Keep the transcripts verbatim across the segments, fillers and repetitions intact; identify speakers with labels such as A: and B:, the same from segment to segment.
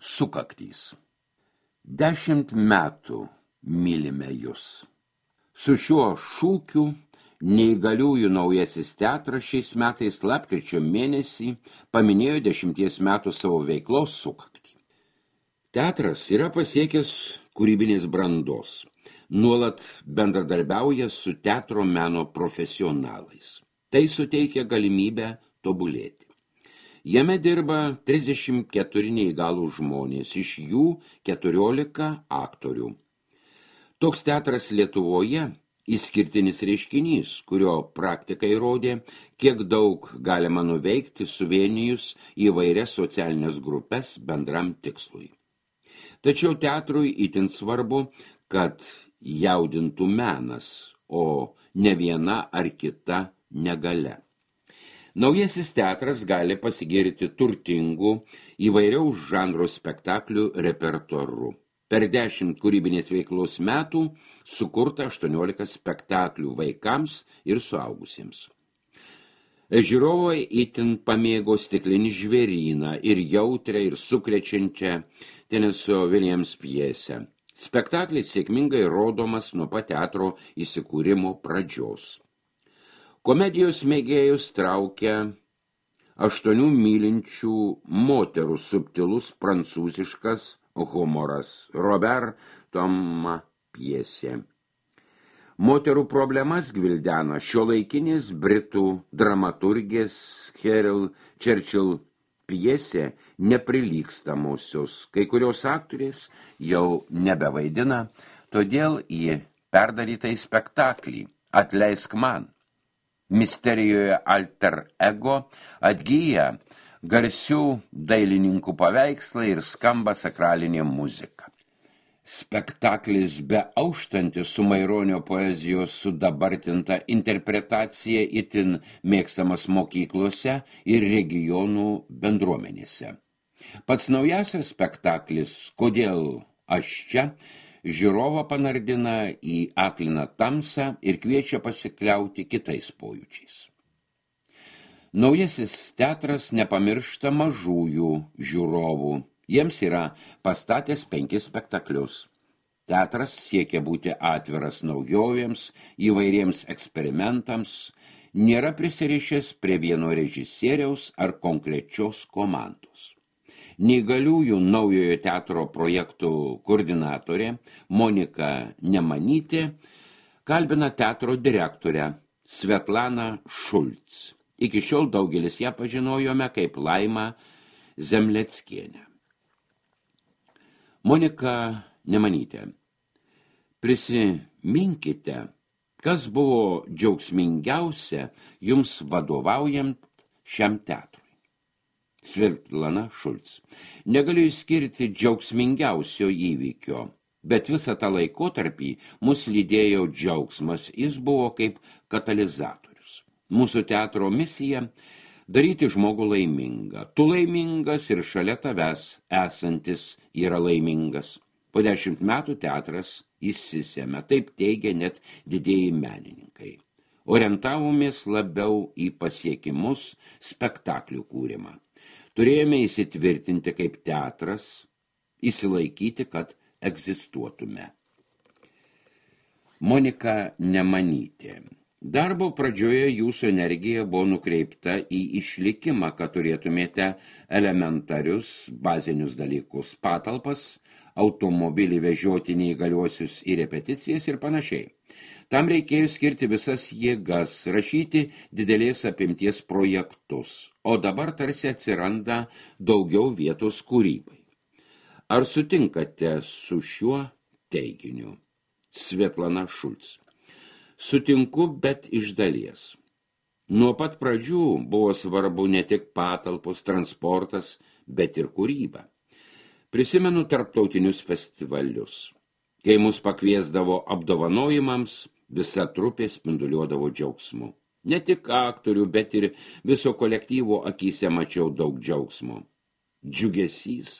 A: Sukaktys. Dešimt metų mylime jūs. Su šiuo šūkiu neįgaliųjų naujasis teatras šiais metais lapkričio mėnesį paminėjo dešimties metų savo veiklos sukaktį. Teatras yra pasiekęs kūrybinės brandos. Nuolat bendradarbiauja su teatro meno profesionalais. Tai suteikia galimybę tobulėti. Jame dirba trisdešimt keturi neįgalų žmonės, iš jų keturiolika aktorių. Toks teatras Lietuvoje išskirtinis reiškinys, kurio praktika įrodė, kiek daug galima nuveikti suvienijus įvairias socialinės grupes bendram tikslui. Tačiau teatrui itin svarbu, kad jaudintų menas, o ne viena ar kita negalia. Naujasis teatras gali pasigirti turtingų įvairiaus žanro spektaklių repertuaru. Per dešimt kūrybinės veiklos metų sukurta aštuoniolika spektaklių vaikams ir suaugusiems. Žiūrovai itin pamėgo Stiklinį žvėryną ir jautrią ir sukrečiančią Tenesio Williams pjesę. Spektaklis sėkmingai rodomas nuo pat teatro įsikūrimo pradžios. Komedijos mėgėjus traukia aštuonių mylinčių moterų subtilus prancūziškas humoras, Robert Toma pjesė. Moterų problemas gvildena šiuolaikinės britų dramaturgės Cheryl Churchill pjesė Neprilygstamusios. Kai kurios aktorės jau nebevaidina, todėl į perdarytą spektaklį Atleisk man. Misterijoje alter ego atgyja garsių dailininkų paveikslai ir skamba sakralinė muzika. Spektaklis be auštantis su Maironio poezijos sudabartinta interpretacija itin mėgstamas mokyklose ir regionų bendruomenėse. Pats naujasias spektaklis Kodėl aš čia žiūrovą panardina į akliną tamsą ir kviečia pasikliauti kitais pojūčiais. Naujasis teatras nepamiršta mažųjų žiūrovų. Jiems yra pastatęs penkis spektaklius. Teatras siekia būti atviras naujovėms, įvairiems eksperimentams, nėra prisirišęs prie vieno režisieriaus ar konkrečios komandos. Neįgaliųjų naujojo teatro projektų koordinatorė Monika Nemanytė kalbina teatro direktorę Svetlaną Šulc. Iki šiol daugelis ją pažinojome kaip Laimą Zemleckienę. Monika Nemanytė. Prisiminkite, kas buvo džiaugsmingiausia jums vadovaujant šiam teatrui. Svetlana Šulc. Negaliu išskirti džiaugsmingiausio įvykio, bet visą tą laikotarpį mus lydėjo džiaugsmas, jis buvo kaip katalizatorius. Mūsų teatro misija – daryti žmogų laimingą. Tu laimingas ir šalia tavęs esantis yra laimingas. Po dešimt metų teatras įsisėmė, taip teigia net didieji menininkai. Orientavomės labiau į pasiekimus, spektaklių kūrimą. Turėjome įsitvirtinti kaip teatras, įsilaikyti, kad egzistuotume. Monika Nemanytė. Darbo pradžioje jūsų energija buvo nukreipta į išlikimą, kad turėtumėte elementarius bazinius dalykus, patalpas, automobilį vežioti neįgaliuosius į repeticijas ir panašiai. Tam reikėjo skirti visas jėgas, rašyti didelės apimties projektus, o dabar tarsi atsiranda daugiau vietos kūrybai. Ar sutinkate su šiuo teiginiu? Svetlana Šulc. Sutinku, bet iš dalies. Nuo pat pradžių buvo svarbu ne tik patalpos, transportas, bet ir kūryba. Prisimenu tarptautinius festivalius. Kai mus pakviesdavo apdovanojimams, visa trupė spinduliuodavo džiaugsmu. Ne tik aktorių, bet ir viso kolektyvo akyse mačiau daug džiaugsmo. Džiugesys,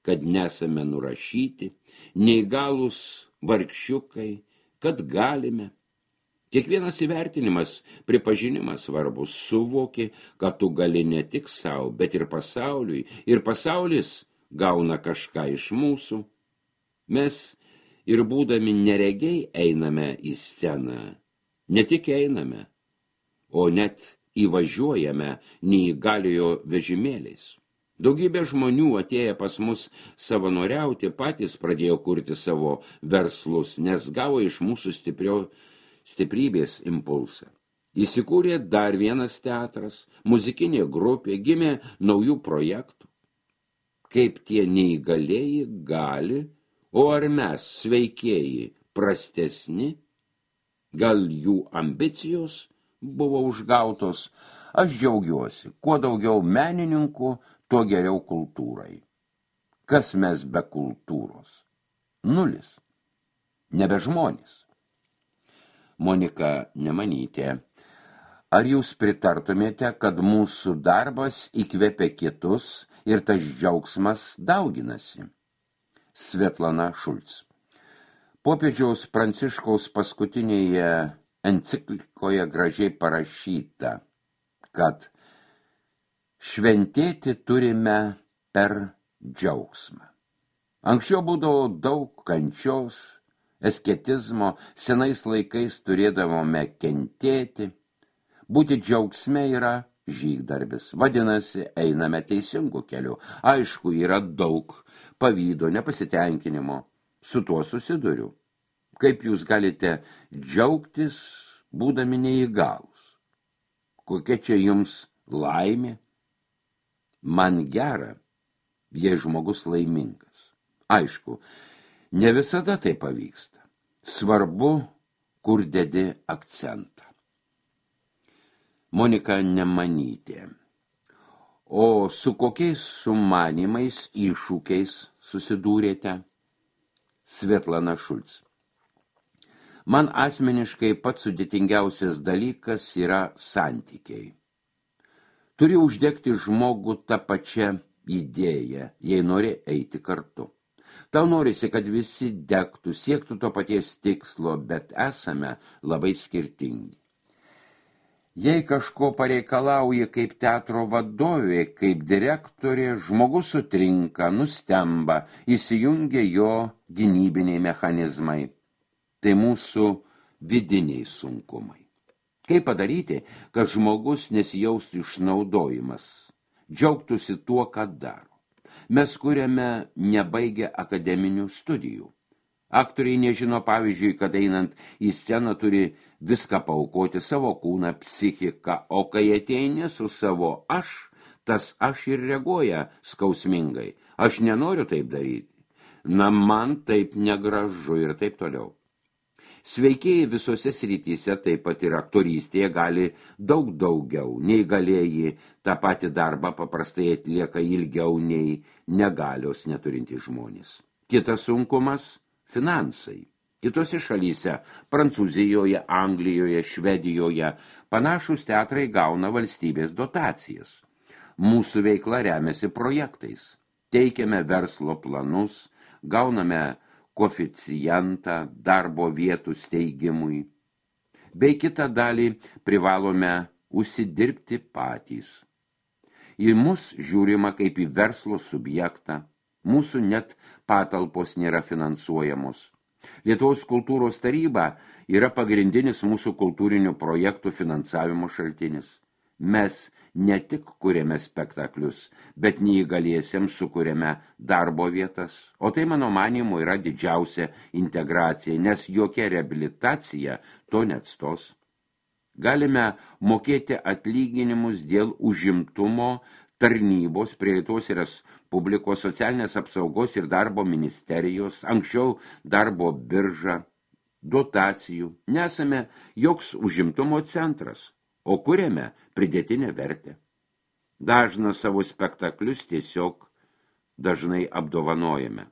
A: kad nesame nurašyti, neįgalūs vargšiukai, kad galime. Kiekvienas įvertinimas, pripažinimas svarbus, suvoki, kad tu gali ne tik savo, bet ir pasauliui, ir pasaulis gauna kažką iš mūsų. Mes ir būdami neregiai einame į sceną. Ne tik einame, o net įvažiuojame neįgaliojo vežimėliais. Daugybė žmonių atėję pas mus savanoriauti patys pradėjo kurti savo verslus, nes gavo iš mūsų stiprio, stiprybės impulsą. Įsikūrė dar vienas teatras, muzikinė grupė, gimė naujų projektų. Kaip tie neįgalieji gali, o ar mes, sveikieji, prastesni? Gal jų ambicijos buvo užgautos? Aš džiaugiuosi, kuo daugiau menininkų, tuo geriau kultūrai. Kas mes be kultūros? Nulis. Nebe žmonės. Monika Nemanytė. Ar jūs pritartumėte, kad mūsų darbas įkvepia kitus ir tas džiaugsmas dauginasi? Svetlana Šulc. Popiežiaus Pranciškaus paskutinėje enciklikoje gražiai parašyta, kad šventėti turime per džiaugsmą. Anksčiau būdavo daug kančios, asketizmo, senais laikais turėdavome kentėti. Būti džiaugsme yra žygdarbis. Vadinasi, einame teisingu keliu. Aišku, yra daug pavydo, nepasitenkinimo. Su tuo susiduriu. Kaip jūs galite džiaugtis, būdami neįgalūs? Kokia čia jums laimė? Man gera, jei žmogus laimingas. Aišku, ne visada tai pavyksta. Svarbu, kur dedi akcentą. Monika Nemanytė. O su kokiais sumanimais, iššūkiais susidūrėte? Svetlana Šulc. Man asmeniškai pats sudėtingiausias dalykas yra santykiai. Turi uždegti žmogų tą pačią idėją, jei nori eiti kartu. Tau norisi, kad visi degtų, siektų to paties tikslo, bet esame labai skirtingi. Jei kažko pareikalauja kaip teatro vadovė, kaip direktorė, žmogus sutrinka, nustemba, įsijungia jo gynybiniai mechanizmai. Tai mūsų vidiniai sunkumai. Kaip padaryti, kad žmogus nesijaustų išnaudojimas, džiaugtųsi tuo, ką daro? Mes kuriame nebaigę akademinių studijų. Aktoriai nežino, pavyzdžiui, kad einant į sceną turi viską paaukoti, savo kūną, psichiką, o kai ateini su savo aš, tas aš ir reaguoja skausmingai. Aš nenoriu taip daryti. Na, man taip negražu ir taip toliau. Sveikieji visose srityse, taip pat ir aktorystėje, gali daug daugiau. Neįgalieji tą patį darbą paprastai atlieka ilgiau nei negalios neturintys žmonės. Kitas sunkumas – finansai. Kitose šalyse – Prancūzijoje, Anglijoje, Švedijoje – panašūs teatrai gauna valstybės dotacijas. Mūsų veikla remiasi projektais. Teikiame verslo planus, gauname koeficientą darbo vietų steigimui. Bei kitą dalį privalome užsidirbti patys. Į mus žiūrima kaip į verslo subjektą. Mūsų net patalpos nėra finansuojamos. Lietuvos kultūros taryba yra pagrindinis mūsų kultūrinių projektų finansavimo šaltinis. Mes ne tik kuriame spektaklius, bet neįgaliesiems sukuriame darbo vietas, o tai mano manymu yra didžiausia integracija, nes jokia reabilitacija to neatstos. Galime mokėti atlyginimus dėl užimtumo tarnybos prie Lietuvos Respublikos socialinės apsaugos ir darbo ministerijos, anksčiau darbo birža, dotacijų. Nesame joks užimtumo centras, o kuriame pridėtinę vertę. Dažną savo spektaklius tiesiog dažnai apdovanojame.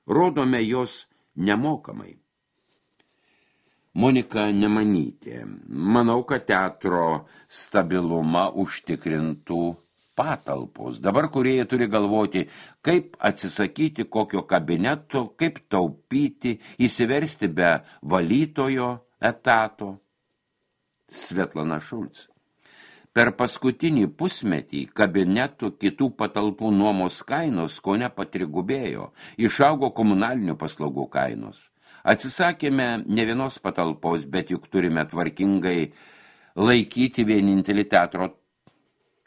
A: Rodome jos nemokamai. Monika Nemanytė. Manau, kad teatro stabilumą užtikrintų patalpos. Dabar kūrėjai turi galvoti, kaip atsisakyti kokio kabineto, kaip taupyti, įsiversti be valytojo etato. Svetlana Šulc. Per paskutinį pusmetį kabinetų kitų patalpų nuomos kainos kone patrigubėjo, išaugo komunalinių paslaugų kainos. Atsisakėme ne vienos patalpos, bet juk turime tvarkingai laikyti vienintelį teatro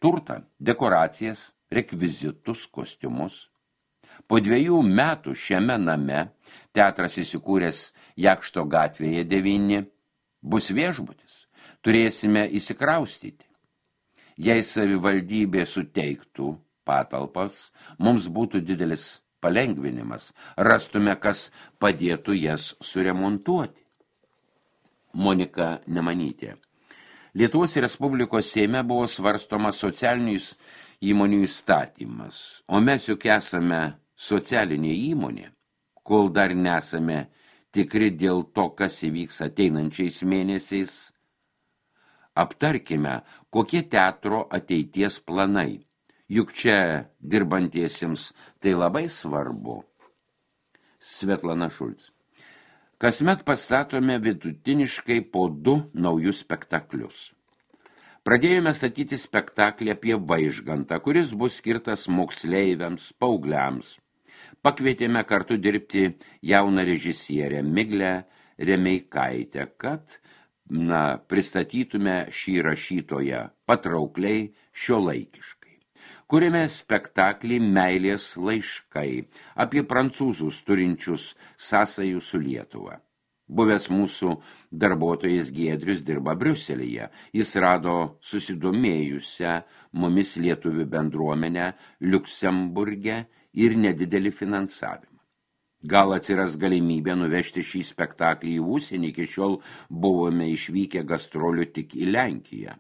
A: turtą, dekoracijas, rekvizitus, kostiumus. Po dviejų metų šiame name teatras įsikūręs Jakšto gatvėje devyni bus viešbutis. Turėsime įsikraustyti. Jei savivaldybė suteiktų patalpas, mums būtų didelis palengvinimas, rastume, kas padėtų jas suremontuoti. Monika Nemanytė. Lietuvos Respublikos Seime buvo svarstomas socialinių įmonių įstatymas, o mes juk esame socialinė įmonė, kol dar nesame tikri dėl to, kas įvyks ateinančiais mėnesiais. Aptarkime, kokie teatro ateities planai. Juk čia dirbantiesiems tai labai svarbu. Svetlana Šulc. Kasmet pastatome vidutiniškai po du naujus spektaklius. Pradėjome statyti spektaklį apie Vaižgantą, kuris bus skirtas moksleiviams, paaugliams. Pakvietėme kartu dirbti jauną režisierę Miglę Remeikaitę, kad na, pristatytume šį rašytoją patraukliai šiuolaikiškai. Kuriame spektaklį Meilės laiškai apie prancūzus turinčius sąsajų su Lietuva. Buvęs mūsų darbuotojas Giedrius dirba Briuselyje. Jis rado susidomėjusią mumis lietuvių bendruomenę Liuksemburge ir nedidelį finansavimą. Gal atsiras galimybė nuvežti šį spektaklį į užsienį, iki šiol buvome išvykę gastrolių tik į Lenkiją.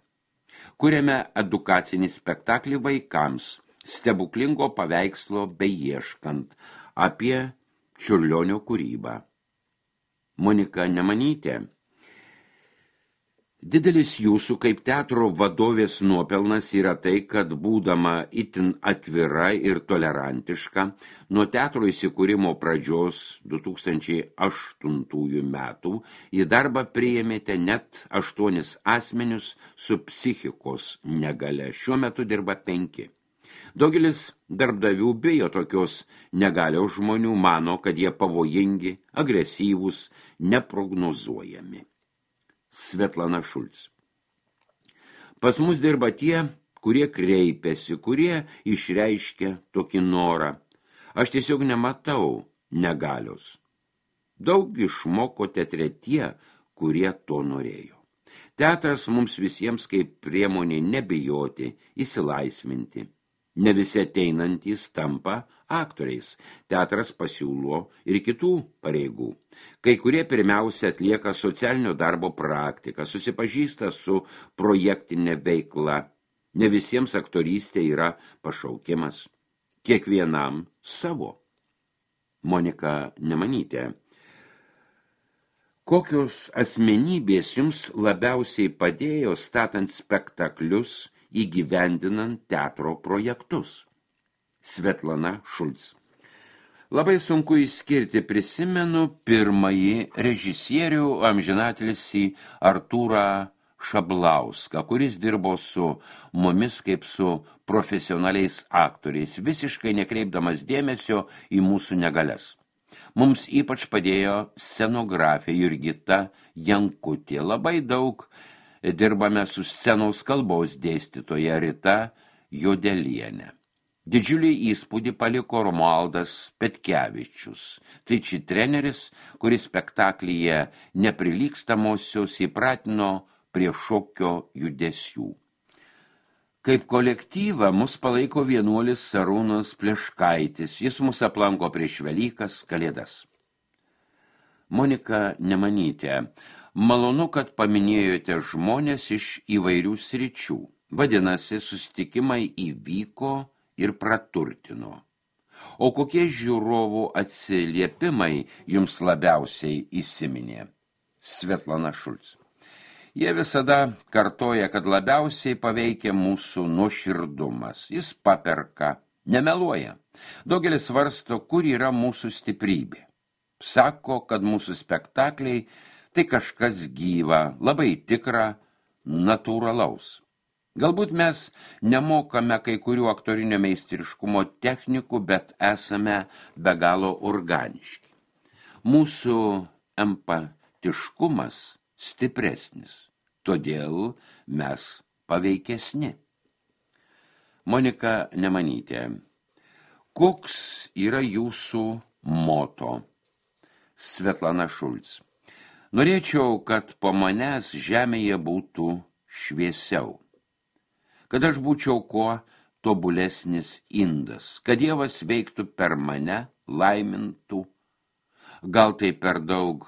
A: Kuriame edukacinį spektaklį vaikams, stebuklingo paveikslo beieškant, apie Čiurlionio kūrybą. Monika Nemanytė. Didelis jūsų kaip teatro vadovės nuopelnas yra tai, kad būdama itin atvira ir tolerantiška, nuo teatro įsikūrimo pradžios du tūkstančiai aštuntųjų metų į darbą priėmėte net aštuonis asmenius su psichikos negalia. Šiuo metu dirba penki. Daugelis darbdavių bijo tokios negalios žmonių, mano, kad jie pavojingi, agresyvūs, neprognozuojami. Svetlana Šulc. Pas mus dirba tie, kurie kreipiasi, kurie išreiškia tokį norą. Aš tiesiog nematau negalios. Daug išmoko teatre tie, kurie to norėjo. Teatras mums visiems kaip priemonė nebijoti, įsilaisvinti. Ne visi ateinantys tampa aktoriais. Teatras pasiūlo ir kitų pareigų. Kai kurie pirmiausia atlieka socialinio darbo praktiką, susipažįsta su projektinė veikla. Ne visiems aktorystė yra pašaukimas. Kiekvienam savo. Monika Nemanytė. Kokios asmenybės jums labiausiai padėjo statant spektaklius, įgyvendinant teatro projektus? Svetlana Šulc. Labai sunku išskirti, prisimenu pirmąjį režisierių amžinatilsį Artūrą Šablauską, kuris dirbo su mumis kaip su profesionaliais aktoriais, visiškai nekreipdamas dėmesio į mūsų negalias. Mums ypač padėjo scenografė Jurgita Jankutė. Labai daug dirbame su scenos kalbos dėstytoja Rita Jodelienė. Didžiulį įspūdį paliko Romualdas Petkevičius. Tai či treneris, kuris spektaklyje neprilygstamuosius įpratino prie šokio judesių. Kaip kolektyvą mus palaiko vienuolis Sarūnas Pleškaitis. Jis mus aplanko prieš Velykas, Kalėdas. Monika Nemanytė. Malonu, kad paminėjote žmonės iš įvairių sričių. Vadinasi, susitikimai įvyko ir praturtino. O kokie žiūrovų atsiliepimai jums labiausiai įsiminė? Svetlana Šulc. Jie visada kartoja, kad labiausiai paveikia mūsų nuoširdumas. Jis paperka, nemeluoja. Daugelis svarsto, kur yra mūsų stiprybė. Sako, kad mūsų spektakliai tai kažkas gyva, labai tikra, natūralaus. Galbūt mes nemokame kai kurių aktorinio meistriškumo technikų, bet esame be galo organiški. Mūsų empatiškumas stipresnis, todėl mes paveikesni. Monika Nemanytė, koks yra jūsų moto? Svetlana Šulc. Norėčiau, kad po manęs žemėje būtų šviesiau. Kad aš būčiau kuo tobulesnis indas, kad Dievas veiktų per mane, laimintų. Gal tai per daug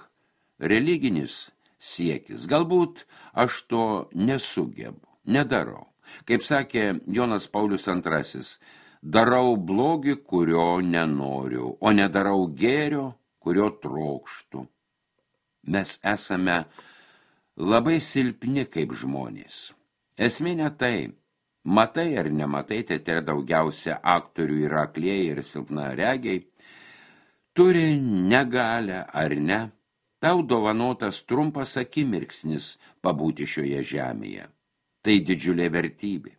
A: religinis siekis, galbūt aš to nesugebu, nedarau. Kaip sakė Jonas Paulius antrasis, darau blogį, kurio nenoriu, o nedarau gėrio, kurio trokštų. Mes esame labai silpni kaip žmonės. Esmė ne tai, matai ar nematai, teatre daugiausia aktorių yra aklieji ir silpnaregiai, turi negalią ar ne, tau dovanotas trumpas akimirksnis pabūti šioje žemėje. Tai didžiulė vertybė.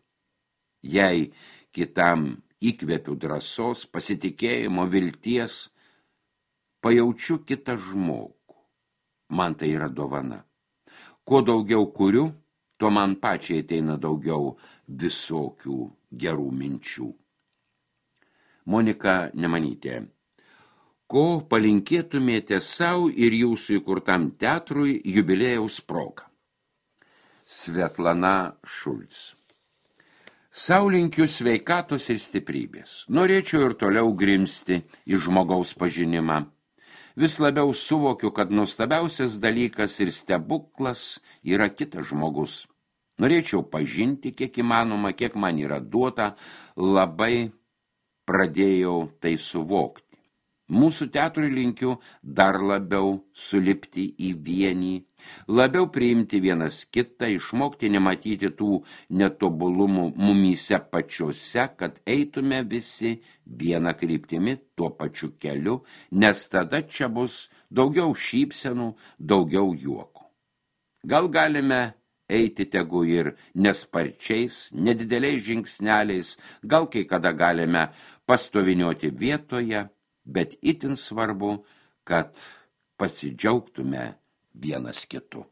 A: Jei kitam įkvepiu drąsos, pasitikėjimo, vilties, pajaučiu kitą žmogų. Man tai yra dovana. Kuo daugiau kuriu, tuo man pačiai ateina daugiau visokių gerų minčių. Monika Nemanytė. Ko palinkėtumėte savo ir jūsų įkurtam teatrui jubiliejaus proga? Svetlana Šulc. Sau linkiu sveikatos ir stiprybės. Norėčiau ir toliau grimsti į žmogaus pažinimą. Vis labiau suvokiu, kad nuostabiausias dalykas ir stebuklas yra kitas žmogus. Norėčiau pažinti, kiek įmanoma, kiek man yra duota, labai pradėjau tai suvokti. Mūsų teatrui linkiu dar labiau sulipti į vienį, labiau priimti vienas kitą, išmokti nematyti tų netobulumų mumyse pačiuose, kad eitume visi vieną kryptimi tuo pačiu keliu, nes tada čia bus daugiau šypsenų, daugiau juoko. Gal galime eiti tegu ir nesparčiais, nedideliais žingsneliais, gal kai kada galime pastovinioti vietoje, bet itin svarbu, kad pasidžiaugtume vienas kitu.